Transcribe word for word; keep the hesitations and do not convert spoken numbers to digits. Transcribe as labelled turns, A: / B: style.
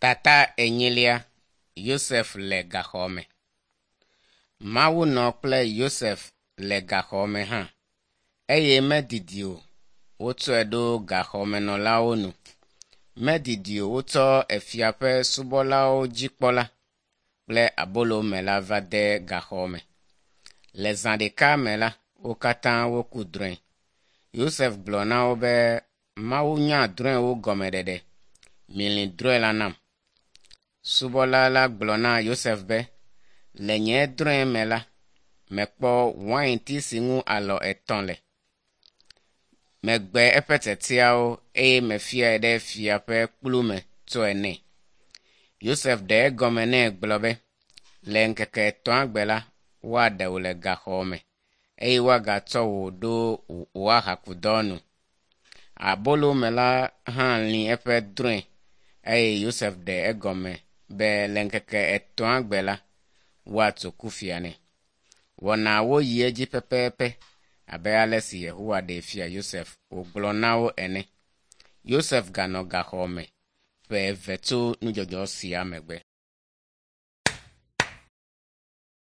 A: Tata enyilia Yosef le gaxɔ me. Mawu nɔ kple Yosef le gaxɔ me hã eye medidi o wotsɔe ɖo gaxɔmenɔlawo nu. Medidi o wotsɔ efia ƒe subɔlawo dzikpɔla kple abolomela va de gaxɔ me. Le zã ɖeka me la, wo katã woku drɔ̃e. Yosef gblɔ na wo be Mawu nya drɔ̃ewo gɔmeɖeɖe. Milĩ drɔ̃e la nam. Subɔla la gblɔ na Yosef be, le nye drɔ̃e me la, mekpɔ wainti si ŋu alɔ etɔ̃ le. Megbe eƒe tsetseawo eye mefiae ɖe fia ƒe kplu me tsɔe nɛ. Yosef ɖe egɔme nɛ gblɔ be, le ŋkeke etɔ̃a gbe la, woaɖe wò le gaxɔ me eye woagatsɔ wò ɖo wò ahakudɔ nu. Abolomela hã lĩ eƒe drɔ̃e eye Yosef ɖe egɔme be le ŋkeke etɔ̃a gbe la, woatso kufia nɛ. Wɔnawo yi edzi pɛpɛpɛ abe ale si Yehowa ɖee fia Yosef wògblɔ na wo ene. Yosef ganɔ gaxɔ me ƒe eve tso nudzɔdzɔ sia megbe.